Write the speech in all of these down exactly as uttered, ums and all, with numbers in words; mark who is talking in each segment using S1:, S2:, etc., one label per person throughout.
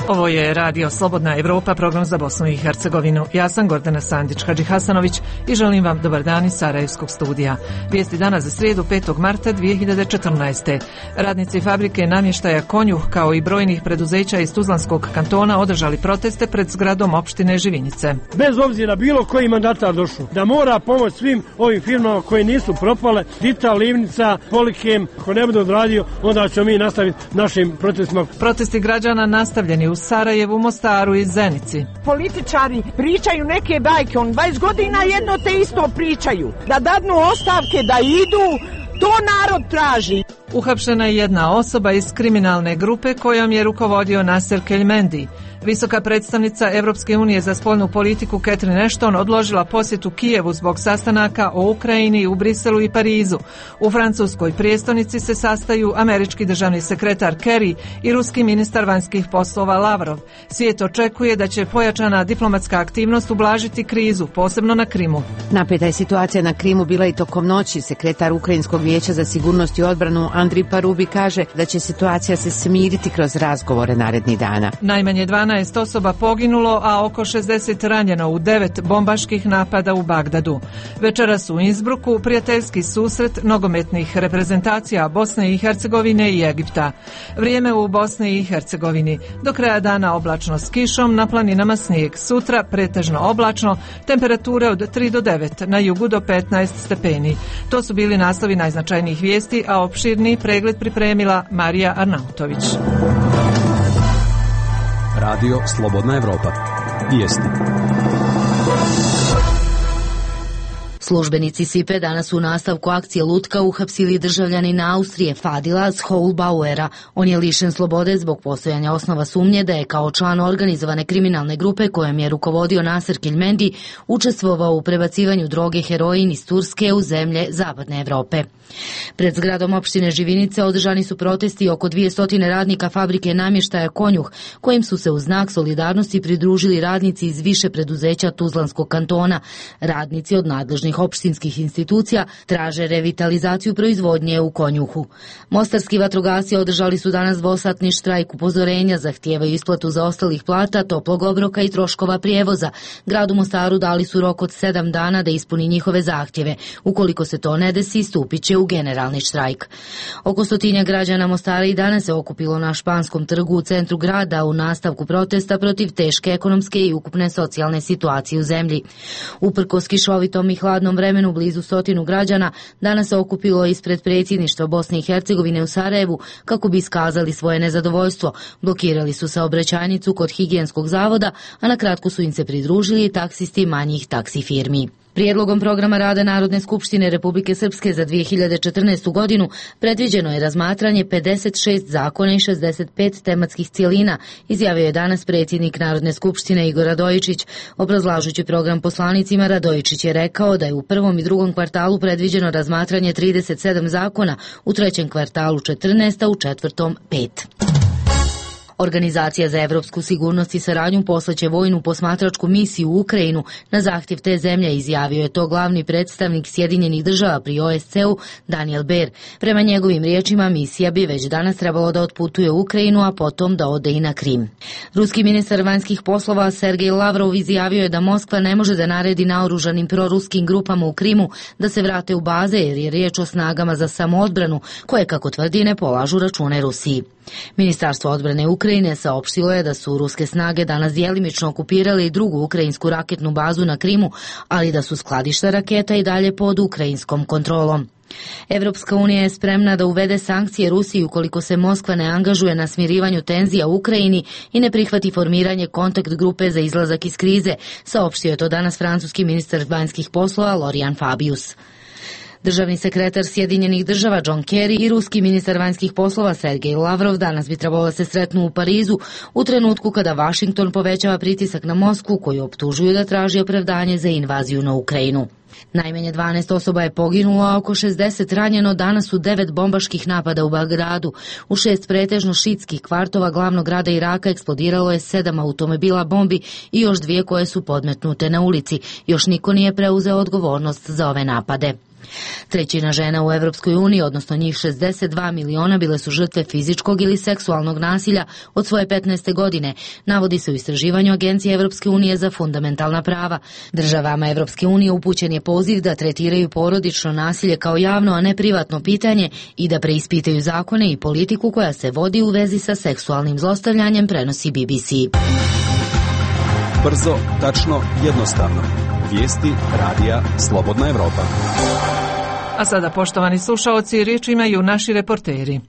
S1: Ovo je Radio Slobodna Evropa, program za Bosnu i Hercegovinu. Ja sam Gordana Sandić-Hadži Hasanović i želim vam dobar dan iz Sarajevskog studija. Vijesti danas za srijedu petog marta dvije hiljade četrnaeste. Radnici fabrike namještaja Konjuh kao i brojnih preduzeća iz Tuzlanskog kantona održali proteste pred zgradom opštine Živinice.
S2: Bez obzira bilo koji mandatar došao, da mora pomoć svim ovim firmama koje nisu propale, Dita, Livnica, Polikem, ako ne bude odradio, onda ćemo mi nastaviti našim protestima.
S1: Protesti građana nastavljeni u Sarajevu, Mostaru i Zenici.
S3: Političari pričaju neke bajke, on dvadeset godina jedno te isto pričaju. Da dadnu ostavke, da idu, to narod traži.
S1: Uhapšena je jedna osoba iz kriminalne grupe kojom je rukovodio Nasser Kelmendi. Visoka predstavnica Evropske unije za spoljnu politiku Catherine Ashton odložila posjetu Kijevu zbog sastanaka o Ukrajini u Briselu i Parizu. U francuskoj prijestolnici se sastaju američki državni sekretar Kerry i ruski ministar vanjskih poslova Lavrov. Svijet očekuje da će pojačana diplomatska aktivnost ublažiti krizu, posebno na Krimu.
S4: Napeta je situacija na Krimu bila i tokom noći. Sekretar Ukrajinskog vijeća za sigurnost i odbranu Andrij Parubi kaže da će situacija se smiriti kroz razgovore narednih dana.
S1: Najmanje dvanaest osoba poginulo, a oko šezdeset ranjeno u devet bombaških napada u Bagdadu. Večeras u Innsbrucku prijateljski susret nogometnih reprezentacija Bosne i Hercegovine i Egipta. Vrijeme u Bosni i Hercegovini. Do kraja dana oblačno s kišom, na planinama snijeg. Sutra pretežno oblačno, temperature od tri do devet, na jugu do petnaest stepeni. To su bili naslovi najznačajnijih vijesti, a opširni pregled pripremila Marija Arnautović.
S5: Radio Slobodna Evropa. Vijesti.
S6: Službenici S I P E danas u nastavku akcije Lutka uhapsili državljanina Austrije Fadila Schoulbauera. On je lišen slobode zbog postojanja osnova sumnje da je kao član organizovane kriminalne grupe kojom je rukovodio Nasser Kelmendi učestvovao u prebacivanju droge heroin iz Turske u zemlje zapadne Evrope. Pred zgradom opštine Živinice održani su protesti oko dvjesto radnika fabrike namještaja Konjuh, kojim su se u znak solidarnosti pridružili radnici iz više preduzeća Tuzlanskog kantona. Radnici od nadležnih opštinskih institucija traže revitalizaciju proizvodnje u Konjuhu. Mostarski vatrogasci održali su danas dvosatni štrajk upozorenja, zahtijevaju isplatu zaostalih plata, toplog obroka i troškova prijevoza. Gradu Mostaru dali su rok od sedam dana da ispuni njihove zahtjeve. Ukoliko se to ne desi, stupit će u generalni štrajk. Oko stotinja građana Mostara i danas se okupilo na Španskom trgu u centru grada u nastavku protesta protiv teške ekonomske i ukupne socijalne situacije u zemlji. Uprkos kišovitom i hladnom vremenu blizu stotinu građana danas se okupilo ispred predsjedništva Bosne i Hercegovine u Sarajevu kako bi iskazali svoje nezadovoljstvo. Blokirali su saobraćajnicu kod higijenskog zavoda, a na kratko su im se pridružili i taksisti manjih taksi firmi. Prijedlogom programa rada Narodne skupštine Republike Srpske za dvije hiljade četrnaestu godinu predviđeno je razmatranje pedeset šest zakona i šezdeset pet tematskih cjelina, izjavio je danas predsjednik Narodne skupštine Igor Radojičić. Obrazlažući program poslanicima, Radojičić je rekao da je u prvom i drugom kvartalu predviđeno razmatranje trideset sedam zakona, u trećem kvartalu četrnaest, a u četvrtom pet. Organizacija za evropsku sigurnost i saradnju poslaće vojnu posmatračku misiju u Ukrajinu na zahtjev te zemlje, izjavio je to glavni predstavnik Sjedinjenih država pri O S C-u Daniel Baer. Prema njegovim riječima, misija bi već danas trebalo da otputuje u Ukrajinu, a potom da ode i na Krim. Ruski ministar vanjskih poslova Sergej Lavrov izjavio je da Moskva ne može da naredi naoružanim proruskim grupama u Krimu da se vrate u baze, jer je riječ o snagama za samoodbranu koje, kako tvrdi, ne polažu račune Rusiji. Ministarstvo odbrane Ukrajine saopštilo je da su ruske snage danas djelimično okupirale i drugu ukrajinsku raketnu bazu na Krimu, ali da su skladišta raketa i dalje pod ukrajinskom kontrolom. Evropska unija je spremna da uvede sankcije Rusiji ukoliko se Moskva ne angažuje na smirivanju tenzija u Ukrajini i ne prihvati formiranje kontakt grupe za izlazak iz krize, saopštio je to danas francuski ministar vanjskih poslova Laurent Fabius. Državni sekretar Sjedinjenih država John Kerry i ruski ministar vanjskih poslova Sergej Lavrov danas bi trebalo da se sretnu u Parizu u trenutku kada Washington povećava pritisak na Moskvu, koju optužuju da traži opravdanje za invaziju na Ukrajinu. Najmanje dvanaest osoba je poginulo, a oko šezdeset ranjeno danas u devet bombaških napada u Bagdadu. U šest pretežno šitskih kvartova glavnog grada Iraka eksplodiralo je sedam automobila bombi i još dvije koje su podmetnute na ulici. Još niko nije preuzeo odgovornost za ove napade. Trećina žena u Evropskoj uniji, odnosno njih šezdeset dva miliona, bile su žrtve fizičkog ili seksualnog nasilja od svoje petnaeste godine, navodi se u istraživanju Agencije Evropske unije za fundamentalna prava. Državama Evropske unije upućen je poziv da tretiraju porodično nasilje kao javno, a ne privatno pitanje i da preispitaju zakone i politiku koja se vodi u vezi sa seksualnim zlostavljanjem, prenosi B B C.
S5: Brzo, tačno, jednostavno. Vijesti radija Slobodna Evropa.
S1: A sada, poštovani slušaoci, riječ imaju naši reporteri.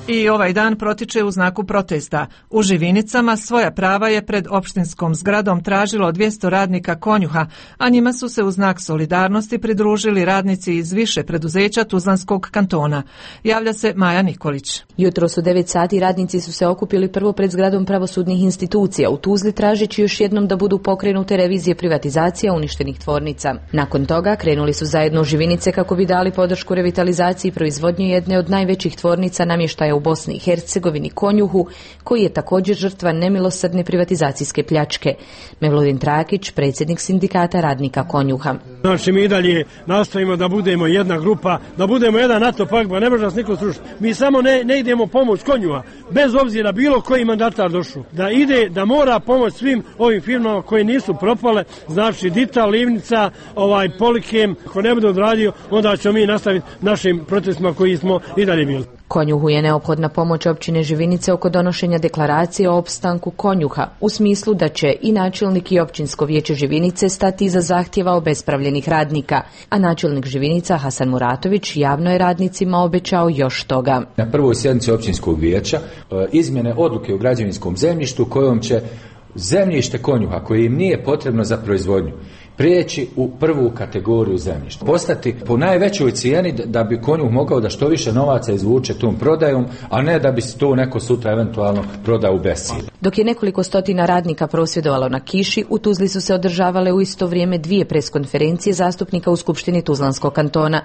S1: I ovaj dan protiče u znaku protesta. U Živinicama svoja prava je pred opštinskom zgradom tražilo dvjesto radnika Konjuha, a njima su se u znak solidarnosti pridružili radnici iz više preduzeća Tuzlanskog kantona. Javlja se Maja Nikolić.
S7: Jutros u devet sati radnici su se okupili prvo pred zgradom pravosudnih institucija u Tuzli, tražeći još jednom da budu pokrenute revizije privatizacija uništenih tvornica. Nakon toga krenuli su zajedno u Živinice kako bi dali podršku revitalizaciji proizvodnje jedne od najvećih tvornica namještaja u Bosni i Hercegovini, Konjuhu, koji je također žrtva nemilosrdne privatizacijske pljačke. Mevludin Trakić, predsjednik sindikata radnika Konjuha.
S2: Znači, mi dalje nastojimo da budemo jedna grupa, da budemo jedan NATO pakt, ba ne može nas niko srušiti. Mi samo ne, ne idemo pomoć Konjuha, bez obzira bilo koji mandatar došao. Da ide, da mora pomoć svim ovim firmama koje nisu propale, znači Dita, Livnica, ovaj Polikem, ako ne bude odradio, onda ćemo mi nastaviti našim protestima koji smo i dalje bili.
S7: Konjuhu je neophodna pomoć općine Živinice oko donošenja deklaracije o opstanku Konjuha, u smislu da će i načelnik i općinsko vijeće Živinice stati iza zahtjeva obespravljenih radnika, a načelnik Živinica Hasan Muratović javno je radnicima obećao još toga.
S8: Na prvoj sjednici općinskog vijeća izmjene odluke o građevinskom zemljištu kojom će zemljište Konjuha koje im nije potrebno za proizvodnju prijeći u prvu kategoriju zemljišta. Postati po najvećoj cijeni da bi Konjuh mogao da što više novaca izvuče tom prodajom, a ne da bi se to neko sutra eventualno prodao u bescjenje.
S7: Dok je nekoliko stotina radnika prosvjedovalo na kiši, u Tuzli su se održavale u isto vrijeme dvije preskonferencije zastupnika u Skupštini Tuzlanskog kantona.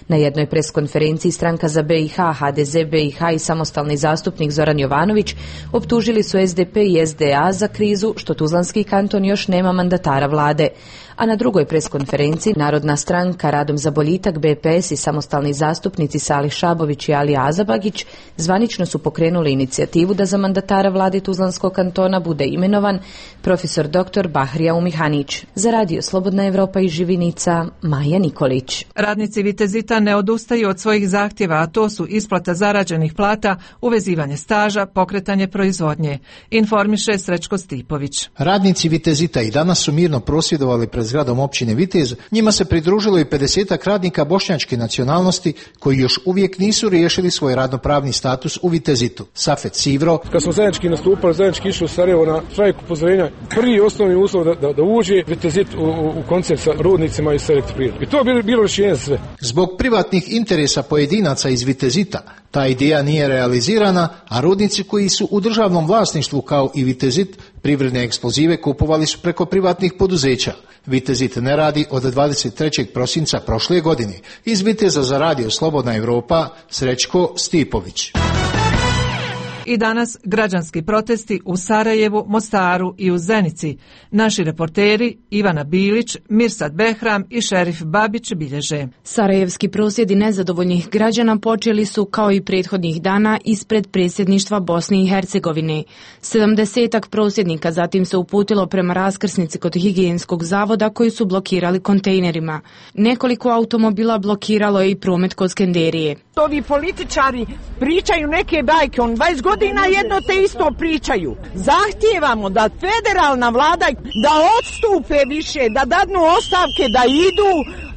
S7: Na jednoj preskonferenciji stranka za B i H, H D Z B i H i samostalni zastupnik Zoran Jovanović optužili su S D P i S D A za krizu što Tuzlanski kanton još nema mandatara vlade. A na drugoj preskonferenciji Narodna stranka, Radom za boljitak, B P S i samostalni zastupnici Salih Šabović i Ali Azabagić zvanično su pokrenuli inicijativu da za mandatara vlade Tuzlanskog kantona bude imenovan profesor doktor Bahrija Umihanić. Za radio Slobodna Evropa iz Živinica, Maja Nikolić.
S1: Radnici Vitezita ne odustaju od svojih zahtjeva, a to su isplata zarađenih plata, uvezivanje staža, pokretanje proizvodnje. Informiše Srećko Stipović.
S9: Radnici Vitezita i danas su mirno prosvjedovali pred zgradom općine Vitez. Njima se pridružilo i pedesetak radnika bošnjačke nacionalnosti koji još uvijek nisu riješili svoj radnopravni status u Vitezitu. Safet Sivro.
S10: Kad smo zajednički nastupali, zajednički išli u Sarajevo na štrajk upozorenja, prvi osnovni uslov da, da, da uđe Vitezit u, u, u koncert sa rudnicima i sa elektroprivredom. I to je bilo, bilo rješenje za sve.
S9: Zbog privatnih interesa pojedinaca iz Vitezita ta ideja nije realizirana, a rudnici koji su u državnom vlasništvu kao i Vitezit privredne eksplozive kupovali su preko privatnih poduzeća. Vitezit ne radi od dvadeset trećeg prosinca prošle godine. Iz Viteza za radio Slobodna Evropa, Srećko Stipović.
S1: I danas građanski protesti u Sarajevu, Mostaru i u Zenici. Naši reporteri Ivana Bilić, Mirsad Behram i Šerif Babić bilježe.
S11: Sarajevski prosvjedi nezadovoljnih građana počeli su kao i prethodnih dana ispred predsjedništva Bosne i Hercegovine. Sedamdesetak prosvjednika zatim se uputilo prema raskrsnici kod higijenskog zavoda koji su blokirali kontejnerima. Nekoliko automobila blokiralo je i promet kod Skenderije.
S3: Ovi političari pričaju neke bajke, on dvadeset godina jedno te isto pričaju. Zahtijevamo da federalna vlada da odstupe više, da dadnu ostavke, da idu,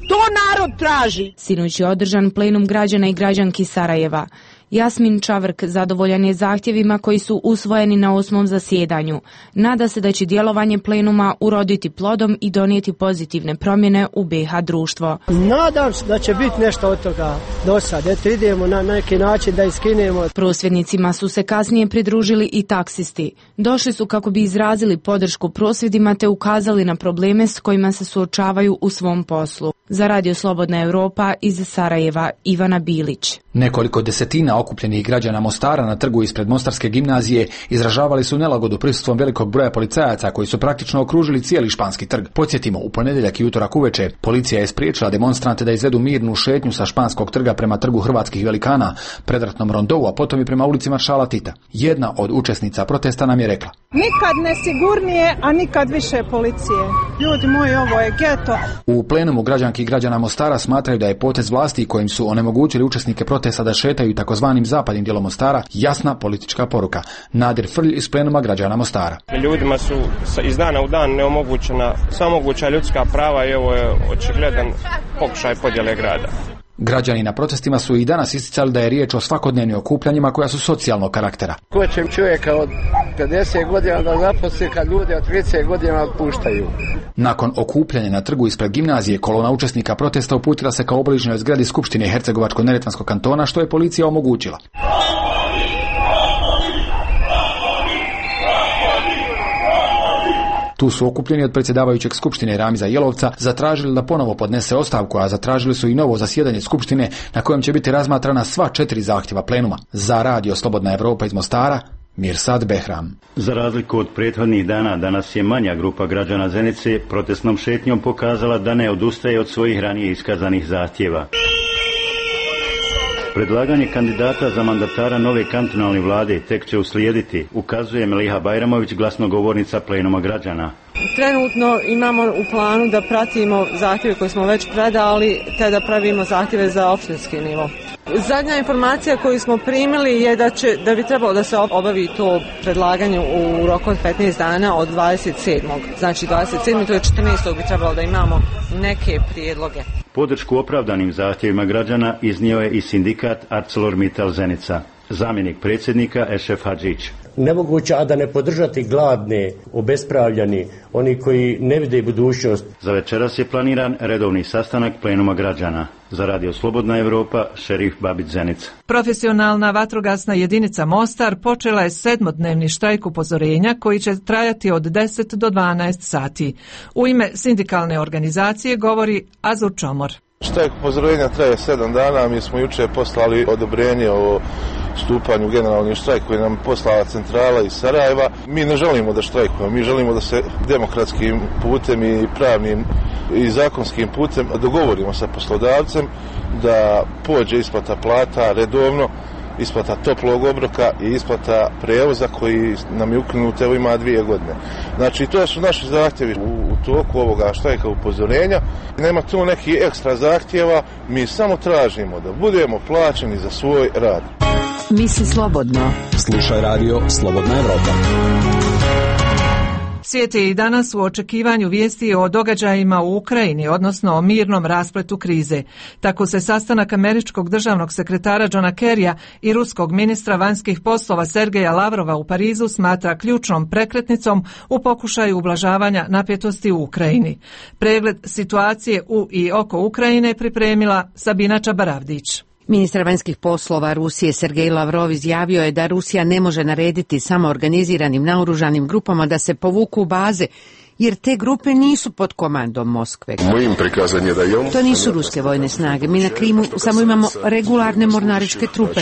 S3: to narod traži.
S11: Sinoć je održan plenum građana i građanki Sarajeva. Jasmin Čavrk zadovoljan je zahtjevima koji su usvojeni na osmom zasjedanju. Nada se da će djelovanje plenuma uroditi plodom i donijeti pozitivne promjene u B iH društvo.
S12: Nadam se da će biti nešto od toga do sad. Eto, idemo na neki način da iskinemo.
S11: Prosvjednicima su se kasnije pridružili i taksisti. Došli su kako bi izrazili podršku prosvjedima te ukazali na probleme s kojima se suočavaju u svom poslu. Za Radio Slobodna Europa iz Sarajeva Ivana Bilić.
S13: Nekoliko desetina okupljenih građana Mostara na trgu ispred Mostarske gimnazije izražavali su nelagodu prisustvom velikog broja policajaca koji su praktično okružili cijeli španski trg. Podsjetimo, u ponedjeljak i utorak uveče policija je spriječila demonstrante da izvedu mirnu šetnju sa španskog trga prema trgu hrvatskih velikana, predratnom rondou, a potom i prema ulici Maršala Tita. Jedna od učesnica protesta nam je rekla:
S14: nikad nesigurnije, a nikad više policije. Ljudi moji, ovo je geto.
S13: U plenumu građanki i građana Mostara smatraju da je potez vlasti kojim su onemogućili učesnike protesta da šetaju takozvanim zapadnim dijelom Mostara jasna politička poruka. Nadir Frlj iz plenuma građana Mostara.
S15: Ljudima su iz dana u dan neomogućena samoguća ljudska prava i ovo je očigledan pokušaj podjele grada.
S13: Građani na protestima su i danas isticali da je riječ o svakodnevnim okupljanjima koja su socijalnog karaktera.
S16: Ko će čovjeka od pedeset godina da zaposli kad ljudi od trideset godina otpuštaju?
S13: Nakon okupljanja na trgu ispred gimnazije, kolona učesnika protesta uputila se ka obližnjoj zgradi Skupštine Hercegovačko-neretvanskog kantona, što je policija omogućila. Tu su okupljeni od predsjedavajućeg Skupštine Ramiza Jelovca zatražili da ponovo podnese ostavku, a zatražili su i novo zasjedanje Skupštine na kojem će biti razmatrana sva četiri zahtjeva plenuma. Za Radio Slobodna Europa iz Mostara, Mirsad Behram.
S17: Za razliku od prethodnih dana, danas je manja grupa građana Zenice protestnom šetnjom pokazala da ne odustaje od svojih ranije iskazanih zahtjeva. Predlaganje kandidata za mandatara nove kantonalne vlade tek će uslijediti, ukazuje Meliha Bajramović, glasnogovornica plenuma građana.
S18: Trenutno imamo u planu da pratimo zahtjeve koje smo već predali, te da pravimo zahtjeve za opštinski nivo. Zadnja informacija koju smo primili je da, će, da bi trebalo da se obavi to predlaganje u roku od petnaest dana od dvadeset sedmog Znači dvadeset sedmog to je četrnaestog bi trebalo da imamo neke prijedloge.
S17: Podršku opravdanim zahtjevima građana iznio je i sindikat ArcelorMittal Zenica. Zamjenik predsjednika Ešef Hadžić.
S19: Nemoguće, a da ne podržati gladne, obespravljani, oni koji ne vide budućnost.
S17: Za večeras je planiran redovni sastanak plenuma građana. Za Radio Slobodna Europa, Šerif Babić Zenica.
S1: Profesionalna vatrogasna jedinica Mostar počela je sedmodnevni štrajk upozorenja koji će trajati od deset do dvanaest sati. U ime sindikalne organizacije govori Azur Čomor.
S20: Štrajk upozorenja traje sedam dana, mi smo jučer poslali odobrenje o stupanju generalni štrajk koji nam poslala centrala iz Sarajeva. Mi ne želimo da štrajkujemo, mi želimo da se demokratskim putem i pravnim i zakonskim putem dogovorimo sa poslodavcem da pođe isplata plata redovno, isplata toplog obroka i isplata prevoza koji nam je ukinut, evo ima dvije godine. Znači, to su naši zahtjevi u, u toku ovoga štrajka upozorenja. Nema tu neki ekstra zahtjeva, mi samo tražimo da budemo plaćeni za svoj rad.
S4: Misli slobodno.
S5: Slušaj Radio Slobodna Europa.
S1: Svijet je i danas u očekivanju vijesti o događajima u Ukrajini, odnosno o mirnom raspletu krize. Tako se sastanak američkog državnog sekretara Johna Kerrya i ruskog ministra vanjskih poslova Sergeja Lavrova u Parizu smatra ključnom prekretnicom u pokušaju ublažavanja napetosti u Ukrajini. Pregled situacije u i oko Ukrajine pripremila Sabina Čabaravdić.
S4: Ministar vanjskih poslova Rusije Sergej Lavrov izjavio je da Rusija ne može narediti samo organiziranim naoružanim grupama da se povuku u baze, jer te grupe nisu pod komandom Moskve. To nisu ruske vojne snage. Mi na Krimu samo imamo regularne mornaričke trupe.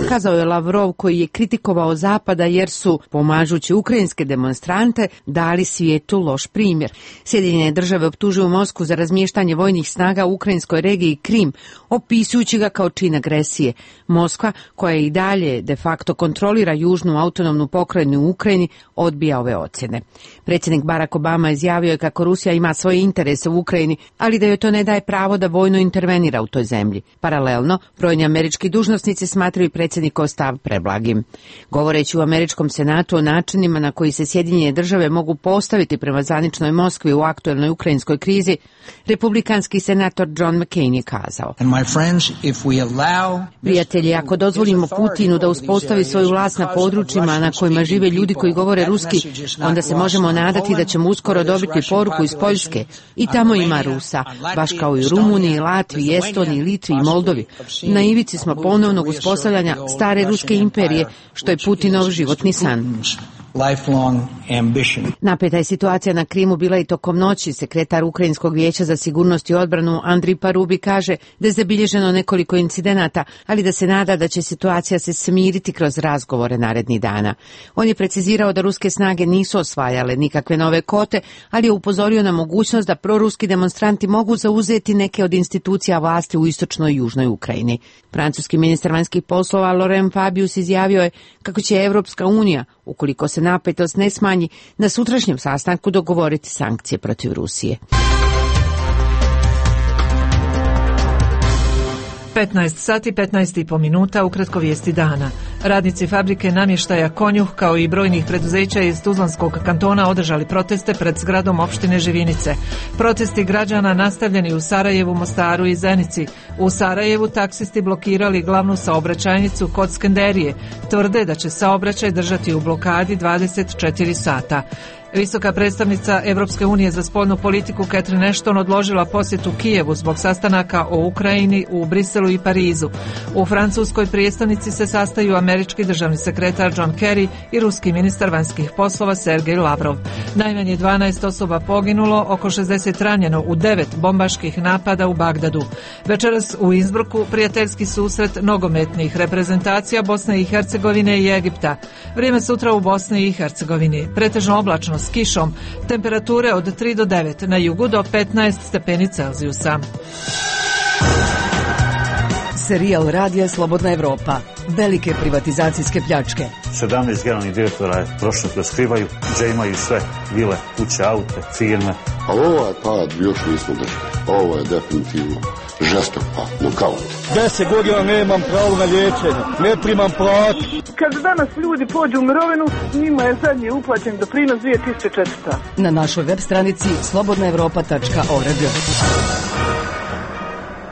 S4: Kazao je Lavrov, koji je kritikovao Zapada jer su, pomažući ukrajinske demonstrante, dali svijetu loš primjer. Sjedinjene države optužuju Moskvu za razmještanje vojnih snaga u ukrajinskoj regiji Krim, opisujući ga kao čin agresije. Moskva, koja i dalje de facto kontrolira južnu autonomnu pokrajinu u Ukrajini, odbija ove ocjene. Predsjednik Barack Obama izjavio je kako Rusija ima svoje interese u Ukrajini, ali da joj to ne daje pravo da vojno intervenira u toj zemlji. Paralelno, brojni američki dužnosnici smatraju predsjednikov stav preblagim. Govoreći u američkom senatu o načinima na koji se Sjedinjene države mogu postaviti prema zvaničnoj Moskvi u aktuelnoj ukrajinskoj krizi, republikanski senator John McCain je kazao: Prijatelji, ako dozvolimo Putinu da uspostavi svoju vlast na područjima na kojima žive ljudi koji govore ruski, onda se možemo nadati da ćemo uskoro dobiti poruku iz Poljske. I tamo ima Rusa, baš kao i u Rumuniji, Latviji, Estoniji, Litvi i Moldovi. Na ivici smo ponovnog uspostavljanja stare ruske imperije, što je Putinov životni san. ambition. Napeta je situacija na Krimu bila i tokom noći. Sekretar Ukrajinskog vijeća za sigurnost i odbranu Andrij Parubi kaže da je zabilježeno nekoliko incidenata, ali da se nada da će situacija se smiriti kroz razgovore narednih dana. On je precizirao da ruske snage nisu osvajale nikakve nove kote, ali je upozorio na mogućnost da proruski demonstranti mogu zauzeti neke od institucija vlasti u istočnoj i južnoj Ukrajini. Francuski ministar vanjskih poslova Laurent Fabius izjavio je kako će Evropska unija, ukoliko se napetost ne smanji, na sutrašnjem sastanku dogovoriti sankcije protiv Rusije.
S1: petnaest sati petnaest i po minuta, ukratko vijesti dana. Radnici fabrike namještaja Konjuh kao i brojnih preduzeća iz Tuzlanskog kantona održali proteste pred zgradom opštine Živinice. Protesti građana nastavljeni u Sarajevu, Mostaru i Zenici. U Sarajevu taksisti blokirali glavnu saobraćajnicu kod Skenderije. Tvrde da će saobraćaj držati u blokadi dvadeset četiri sata. Visoka predstavnica Evropske unije za spoljnu politiku Catherine Ashton odložila posjetu Kijevu zbog sastanaka o Ukrajini u Briselu i Parizu. U francuskoj prijestolnici se sastaju američki državni sekretar John Kerry i ruski ministar vanjskih poslova Sergej Lavrov. Najmanje dvanaest osoba poginulo, oko šezdeset ranjeno u devet bombaških napada u Bagdadu. Večeras u Innsbrucku prijateljski susret nogometnih reprezentacija Bosne i Hercegovine i Egipta. Vrijeme sutra u Bosni i Hercegovini. Pretežno oblačno s kišom, temperature od tri do devet, na jugu do petnaest stepeni Celzijusa.
S21: Serijal radija Slobodna Evropa. Velike privatizacijske pljačke.
S22: sedamnaest generalnih direktora je prošlo da skrivaju, gdje imaju sve vile, kuće, aute, firme.
S23: A ovaj pad još nismo držali. Ovo je definitivno žestok pad, nokaut.
S24: Deset godina nemam pravo na liječenje, ne primam platu.
S25: Kad danas ljudi pođu u mirovinu, njima je zadnji uplaćen doprinos dvije tisuće četiristo.
S21: Na našoj web stranici slobodna evropa tačka org.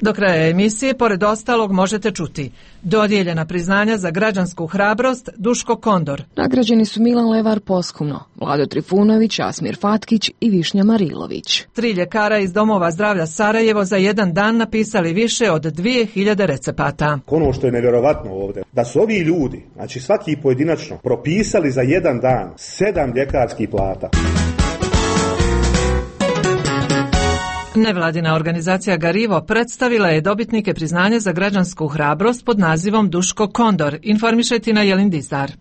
S1: Do kraja emisije, pored ostalog, možete čuti dodijeljena priznanja za građansku hrabrost Duško Kondor.
S11: Nagrađeni su Milan Levar posthumno, Vlado Trifunović, Asmir Fatkić i Višnja Marilović.
S1: Tri ljekara iz domova zdravlja Sarajevo za jedan dan napisali više od dvije hiljade recepata.
S26: Ono što je nevjerovatno ovdje, da su ovi ljudi, znači svaki pojedinačno, propisali za jedan dan sedam ljekarskih plata.
S1: Nevladina organizacija Garivo predstavila je dobitnike priznanja za građansku hrabrost pod nazivom Duško Kondor. Informiše Tina Jelin Dizdar.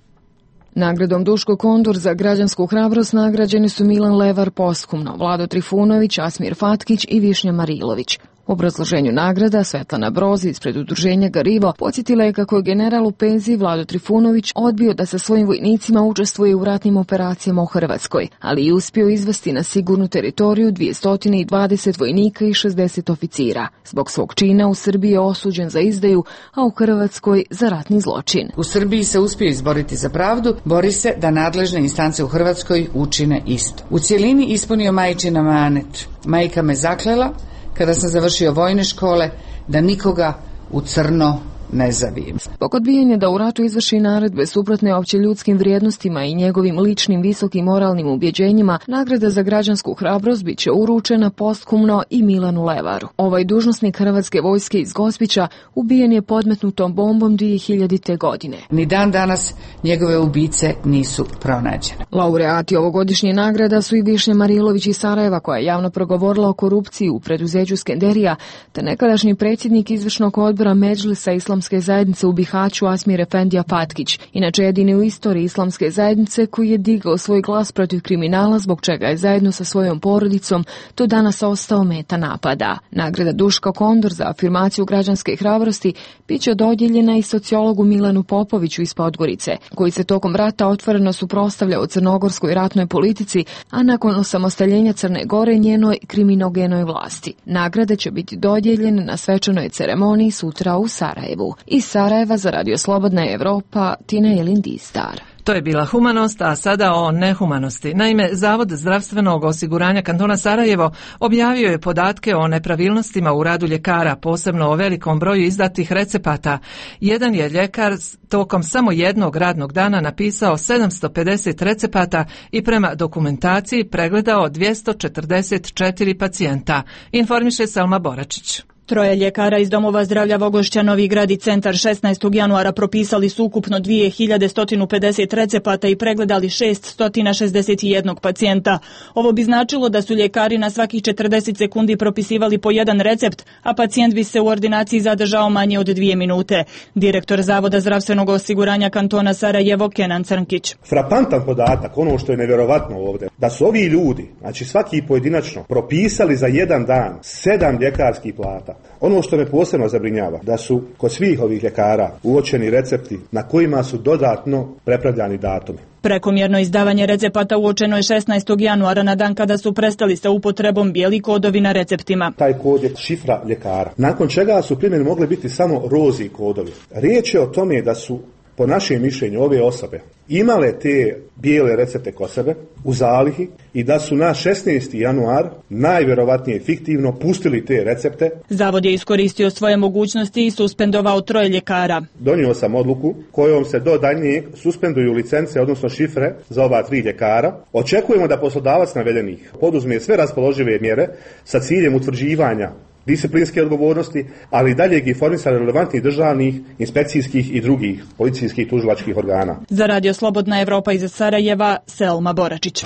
S11: Nagradom Duško Kondor za građansku hrabrost nagrađeni su Milan Levar posthumno, Vlado Trifunović, Asmir Fatkić i Višnja Marilović. U obrazloženju nagrada Svetlana Brozi ispred udruženja Garivo podsjetila je kako je general u penziji Vlado Trifunović odbio da sa svojim vojnicima učestvuje u ratnim operacijama u Hrvatskoj, ali i uspio izvesti na sigurnu teritoriju dvjesto dvadeset vojnika i šezdeset oficira. Zbog svog čina u Srbiji je osuđen za izdaju, a u Hrvatskoj za ratni zločin.
S27: U Srbiji se uspio izboriti za pravdu, bori se da nadležne instance u Hrvatskoj učine isto. U cjelini ispunio majčin amanet. Majka me zaklela kada sam završio vojne škole, da nikoga u crno ne zavijem.
S11: Zbog odbijanja da u ratu izvrši naredbe suprotne opće ljudskim vrijednostima i njegovim ličnim visokim moralnim ubjeđenjima, nagrada za građansku hrabrost bit će uručena posthumno i Milanu Levaru. Ovaj dužnosnik Hrvatske vojske iz Gospića ubijen je podmetnutom bombom dvije hiljadite. godine.
S27: Ni dan danas njegove ubice nisu pronađene.
S11: Laureati ovogodišnje nagrada su i Višnja Marilović iz Sarajeva, koja je javno progovorila o korupciji u preduzeću Skenderija, te nekadašnji predsjednik izvršnog odbora Medžlisa Islamske zajednice u Bihaću Asmir Efendija Fatkić, inače jedini u istoriji Islamske zajednice koji je digao svoj glas protiv kriminala, zbog čega je zajedno sa svojom porodicom do danas ostao meta napada. Nagrada Duško Kondor za afirmaciju građanske hrabrosti bit će dodijeljena i sociologu Milanu Popoviću iz Podgorice, koji se tokom rata otvoreno suprotstavljao crnogorskoj ratnoj politici, a nakon osamostaljenja Crne Gore njenoj kriminogenoj vlasti. Nagrade će biti dodijeljene na svečanoj ceremoniji sutra u Sarajevu. Iz Sarajeva za Radio Slobodna Evropa, Tina Jelin Dizdar.
S1: To je bila humanost, a sada o nehumanosti. Naime, Zavod zdravstvenog osiguranja kantona Sarajevo objavio je podatke o nepravilnostima u radu ljekara, posebno o velikom broju izdatih recepata. Jedan je ljekar tokom samo jednog radnog dana napisao sedamsto pedeset recepata i prema dokumentaciji pregledao dvjesto četrdeset četiri pacijenta, informiše Selma Boračić.
S2: Troje ljekara iz domova zdravlja Vogošća, Novi Grad i Centar šesnaestog januara propisali su ukupno dvije hiljade sto pedeset recepata i pregledali šessto šezdeset jedan pacijenta. Ovo bi značilo da su ljekari na svakih četrdeset sekundi propisivali po jedan recept, a pacijent bi se u ordinaciji zadržao manje od dvije minute. Direktor Zavoda zdravstvenog osiguranja kantona Sarajevo, Kenan Crnkić.
S26: Frapantan podatak, ono što je nevjerovatno ovdje, da su ovi ljudi, znači svaki pojedinačno, propisali za jedan dan sedam ljekarskih plata. Ono što me posebno zabrinjava, da su kod svih ovih ljekara uočeni recepti na kojima su dodatno prepravljani datumi.
S2: Prekomjerno izdavanje recepata uočeno je šesnaestog januara na dan kada su prestali sa upotrebom bijeli kodovi na receptima.
S26: Taj kod je šifra ljekara, nakon čega su primjeni mogli biti samo rozi kodovi. Riječ je o tome da su, po našem mišljenju, ove osobe imale te bijele recepte kod sebe u zalihi i da su na šesnaesti januar najvjerovatnije fiktivno pustili te recepte.
S2: Zavod je iskoristio svoje mogućnosti i suspendovao troje ljekara.
S26: Donio sam odluku kojom se do daljnjeg suspenduju licence, odnosno šifre za ova tri ljekara. Očekujemo da poslodavac navedenih poduzme sve raspoložive mjere sa ciljem utvrđivanja disciplinske odgovornosti, ali i daljeg informisanja relevantnih državnih, inspekcijskih i drugih policijskih tužilačkih organa.
S2: Za Radio Slobodna Evropa iz Sarajeva, Selma Boračić.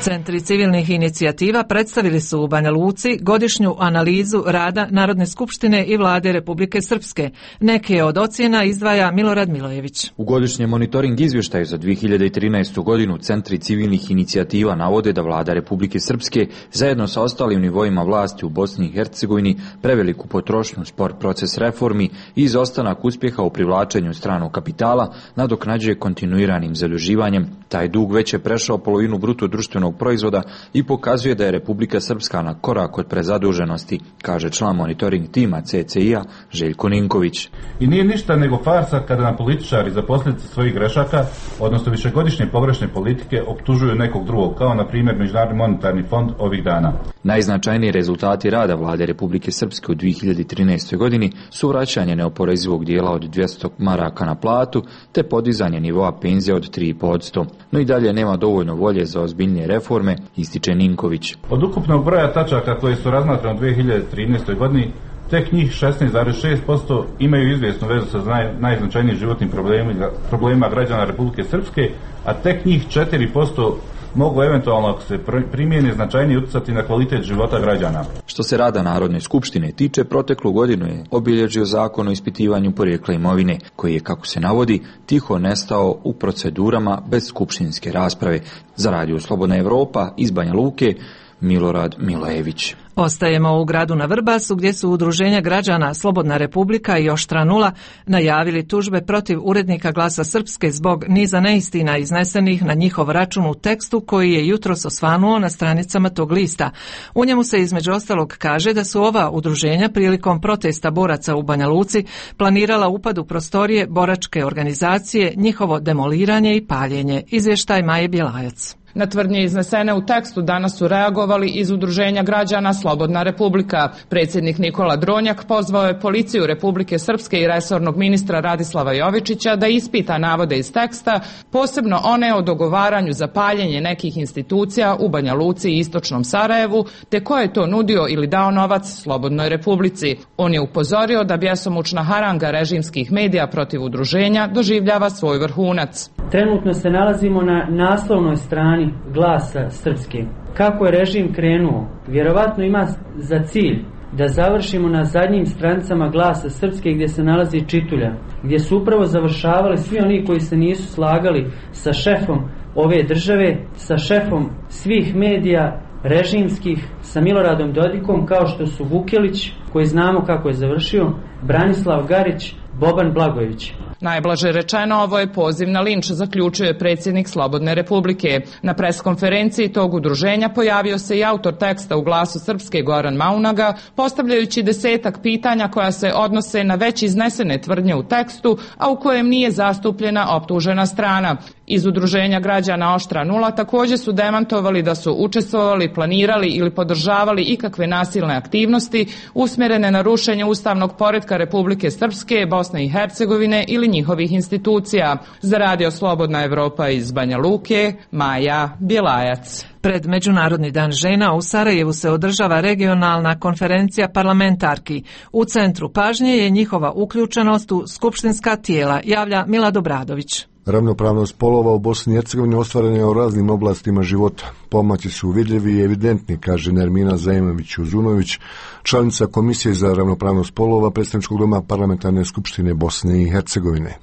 S1: Centri civilnih inicijativa predstavili su u Banja Luci godišnju analizu rada Narodne skupštine i vlade Republike Srpske. Neke od ocjena izdvaja Milorad Milojević.
S3: U godišnjem monitoring izvještaju za dvije hiljade trinaestu. godinu Centri civilnih inicijativa navode da vlada Republike Srpske zajedno sa ostalim nivoima vlasti u Bosni i Hercegovini preveliku potrošnju, spor proces reformi i izostanak uspjeha u privlačenju stranog kapitala nadoknađuje kontinuiranim zaduživanjem. Taj dug već je prešao polovinu bruto društvenog proizvoda i pokazuje da je Republika Srpska na korak od prezaduženosti, kaže član monitoring tima C C I-a Željko Ninković.
S6: I nije ništa nego farsa kada na političari za posljedice svojih grešaka, odnosno višegodišnje pogrešne politike, optužuju nekog drugog, kao na primjer Međunarodni monetarni fond ovih dana.
S3: Najznačajniji rezultati rada vlade Republike Srpske u dvije hiljade trinaestoj. godini su vraćanje neoporezivog dijela od dvjesto maraka na platu te podizanje nivoa penzija od tri i pol posto. No i dalje nema dovoljno volje za ozbiljnije reforme, ističe Ninković.
S6: Od ukupnog broja tačaka koje su razmatrane u dvije hiljade trinaestoj. godini, tek njih šesnaest zarez šest posto imaju izvjesnu vezu sa naj, najznačajnijim životnim problemima, problemima građana Republike Srpske, a tek njih četiri posto mogu eventualno, ako se primijeni, značajnije utjecati na kvalitet života građana.
S3: Što se rada Narodne skupštine tiče, proteklu godinu je obilježio zakon o ispitivanju porijekla imovine, koji je, kako se navodi, tiho nestao u procedurama bez skupštinske rasprave. Za Radio Slobodna Evropa iz Banja Luke, Milorad Milojević.
S1: Ostajemo u gradu na Vrbasu gdje su udruženja građana Slobodna Republika i Oštra nula najavili tužbe protiv urednika Glasa Srpske zbog niza neistina iznesenih na njihov račun u tekstu koji je jutros osvanuo na stranicama tog lista. U njemu se između ostalog kaže da su ova udruženja prilikom protesta boraca u Banja Luci planirala upad u prostorije boračke organizacije, njihovo demoliranje i paljenje. Izvještaj Maje Bjelajac.
S7: Na tvrdnje iznesene u tekstu danas su reagovali iz udruženja građana Slobodna Republika. Predsjednik Nikola Dronjak pozvao je policiju Republike Srpske i resornog ministra Radislava Jovičića da ispita navode iz teksta, posebno one o dogovaranju za paljenje nekih institucija u Banja Luci i istočnom Sarajevu, te ko je to nudio ili dao novac Slobodnoj Republici. On je upozorio da bjesomučna haranga režimskih medija protiv udruženja doživljava svoj vrhunac.
S8: Trenutno se nalazimo na naslovnoj strani Glasa Srpske. Kako je režim krenuo? Vjerovatno ima za cilj da završimo na zadnjim stranicama Glasa Srpske gdje se nalazi čitulja, gdje su upravo završavali svi oni koji se nisu slagali sa šefom ove države, sa šefom svih medija režimskih, sa Miloradom Dodikom, kao što su Vukelić, koji znamo kako je završio, Branislav Garić, Boban Blagojević.
S7: Najblaže rečeno, ovo je poziv na linč, zaključuje predsjednik Slobodne Republike. Na preskonferenciji tog udruženja pojavio se i autor teksta u Glasu Srpske Goran Maunaga, postavljajući desetak pitanja koja se odnose na već iznesene tvrdnje u tekstu, a u kojem nije zastupljena optužena strana. Iz udruženja građana Oštra nula također su demantovali da su učestvovali, planirali ili podržavali ikakve nasilne aktivnosti usmjerene na rušenje ustavnog poretka Republike Srpske, Bosne i Hercegovine ili njihovih institucija. Za Radio Slobodna Evropa iz Banja Luke, Maja Bjelajac.
S1: Pred Međunarodni dan žena u Sarajevu se održava regionalna konferencija parlamentarki. U centru pažnje je njihova uključenost u skupštinska tijela, javlja Milad Obradović.
S9: Ravnopravnost polova u Bosni i Hercegovini ostvarena je u raznim oblastima života. Pomaci su vidljivi i evidentni, kaže Nermina Zaimović-Uzunović, članica Komisije za ravnopravnost polova Predstavničkog doma Parlamentarne skupštine Bosne i Hercegovine.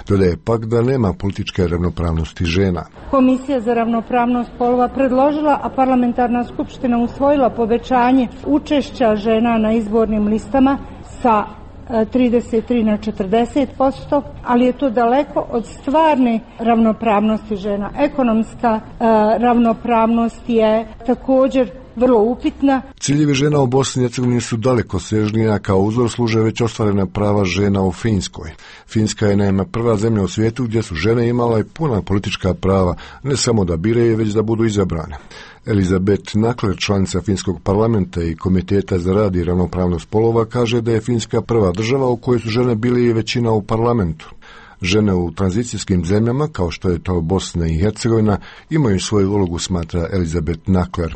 S9: Dodaje pak da nema političke ravnopravnosti žena.
S10: Komisija za ravnopravnost polova predložila, a Parlamentarna skupština usvojila povećanje učešća žena na izbornim listama sa trideset tri na četrdeset posto, ali je to daleko od stvarne ravnopravnosti žena. Ekonomska e, ravnopravnost je također vrlo upitna.
S9: Ciljevi žena u Bosni i Hercegovini su daleko sežnija, kao uzor služe već ostvarena prava žena u Finskoj. Finska je naime prva zemlja u svijetu gdje su žene imala i puna politička prava, ne samo da biraju, već da budu izabrane. Elizabeth Nakler, članica Finskog parlamenta i Komiteta za rad i ravnopravnost polova, kaže da je Finska prva država u kojoj su žene bili i većina u parlamentu. Žene u tranzicijskim zemljama, kao što je to Bosna i Hercegovina, imaju svoju ulogu, smatra Elizabeth Nakler.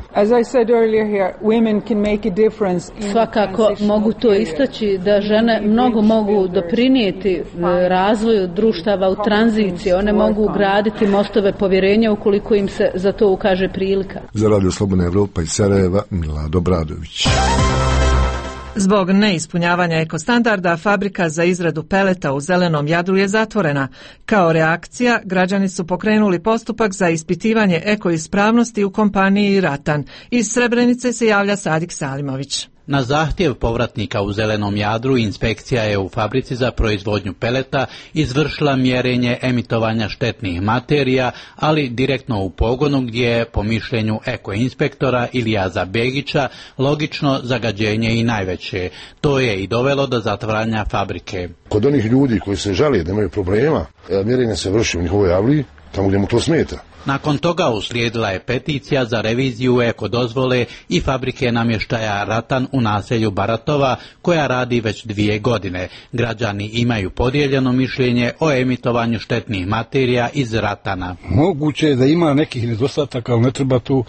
S12: Svakako mogu to istaći da žene mnogo mogu doprinijeti razvoju društava u tranziciji. One mogu graditi mostove povjerenja ukoliko im se za to ukaže prilika.
S9: Za Radio Slobodna Evropa iz Sarajeva, Milad Obradović.
S1: Zbog neispunjavanja ekostandarda, fabrika za izradu peleta u Zelenom Jadru je zatvorena. Kao reakcija, građani su pokrenuli postupak za ispitivanje ekoispravnosti u kompaniji Ratan. Iz Srebrenice se javlja Sadik Salimović.
S13: Na zahtjev povratnika u Zelenom Jadru, inspekcija je u fabrici za proizvodnju peleta izvršila mjerenje emitovanja štetnih materija, ali direktno u pogonu gdje je, po mišljenju ekoinspektora Ilijaza Begića, logično zagađenje i najveće. To je i dovelo do zatvaranja fabrike.
S14: Kod onih ljudi koji se žale da imaju problema, mjerenje se vrši u njihovoj avliji, tamo gdje mu to smeta.
S13: Nakon toga uslijedila je peticija za reviziju ekodozvole i fabrike namještaja Ratan u naselju Baratova, koja radi već dvije godine. Građani imaju podijeljeno mišljenje o emitovanju štetnih materija iz Ratana.
S24: Moguće je da ima nekih nedostataka, ali ne treba tu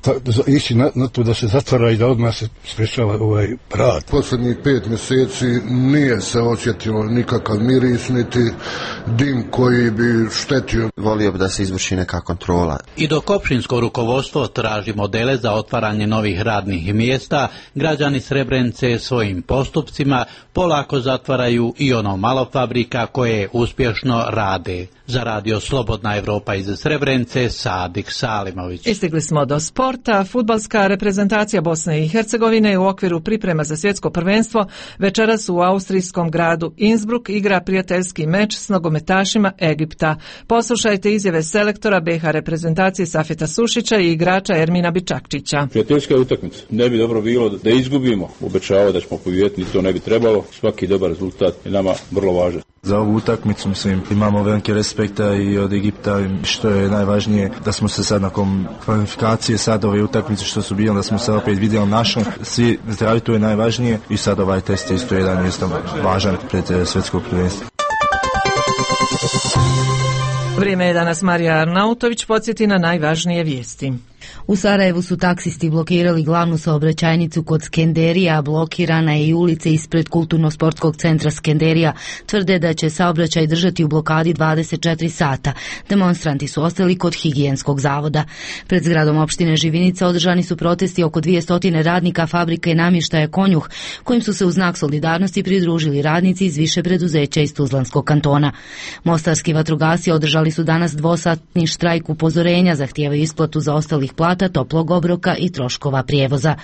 S24: Ta, ići na, na to da se zatvara i da odmah se sprečava ovaj rad.
S23: Posljednjih pet mjeseci nije se osjetilo nikakav miris, niti dim koji bi štetio.
S15: Volio bi da se izvrši neka kontrola.
S13: I dok općinsko rukovodstvo traži modele za otvaranje novih radnih mjesta, građani Srebrenice svojim postupcima polako zatvaraju i ono malo fabrika koje uspješno rade. Za Radio Slobodna Evropa iz Srebrenice, Sadik Salimović.
S1: Istigli smo do sporta. Fudbalska reprezentacija Bosne i Hercegovine u okviru priprema za svjetsko prvenstvo večeras u austrijskom gradu Innsbruck igra prijateljski meč s nogometašima Egipta. Poslušajte izjave selektora B H reprezentacije Safeta Sušića i igrača Ermina Bičakčića.
S16: Prijateljska utakmica. Ne bi dobro bilo da izgubimo. Obećavao da ćemo pobijediti, to ne bi trebalo. Svaki dobar rezultat je nama vrlo važan.
S28: Za ovu utakmicu, mislim, imamo velike respekta i od Egipta, što je najvažnije da smo se sad nakon kvalifikacije, sad ove utakmice što su bile, da smo se opet vidjeli našom, svi zdravi, to je najvažnije i sad ovaj test je isto jedan isto važan pred svjetskog prvenstva.
S1: Vrijeme je da nas Marija Arnautović podsjeti na najvažnije vijesti.
S29: U Sarajevu su taksisti blokirali glavnu saobraćajnicu kod Skenderija, blokirana je i ulica ispred kulturno-sportskog centra Skenderija. Tvrde da će saobraćaj držati u blokadi dvadeset četiri sata. Demonstranti su ostali kod higijenskog zavoda. Pred zgradom opštine Živinica održani su protesti oko dvjesto radnika fabrike namještaja Konjuh, kojim su se u znak solidarnosti pridružili radnici iz više preduzeća iz Tuzlanskog kantona. Mostarski vatrogasci održali su danas dvosatni štrajk upozorenja, zahtijevaju isplatu za ostalih plata, toplog obroka i troškova prijevoza.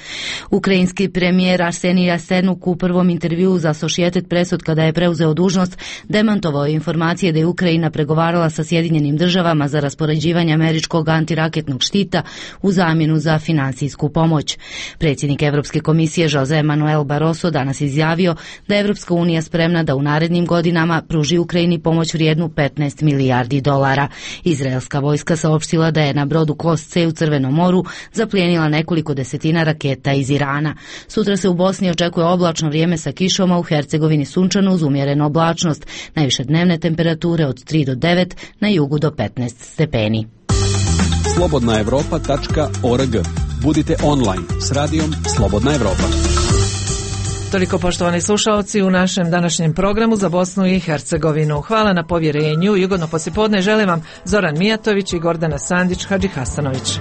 S29: Ukrajinski premijer Arsenij Jasenuk u prvom intervjuu za Associated Press od kada je preuzeo dužnost demantovao informacije da je Ukrajina pregovarala sa Sjedinjenim državama za raspoređivanje američkog antiraketnog štita u zamjenu za financijsku pomoć. Predsjednik Europske komisije Jose Manuel Barroso danas izjavio da je Europska unija spremna da u narednim godinama pruži Ukrajini pomoć vrijednu petnaest milijardi dolara. Izraelska vojska saopštila da je na brodu Kost C u Crvenom moru zaplijenila nekoliko desetina raketa iz Irana. Sutra se u Bosni očekuje oblačno vrijeme sa kišom, a u Hercegovini sunčano uz umjerenu oblačnost. Najviše dnevne temperature od tri do devet, na jugu do petnaest stepeni.
S4: slobodna evropa tačka org. Budite online s radijom Slobodna Evropa.
S1: Toliko, poštovani slušalci, u našem današnjem programu za Bosnu i Hercegovinu. Hvala na povjerenju i ugodno poslijepodne želim vam Zoran Mijatović i Gordana Sandić Hadžihasanović.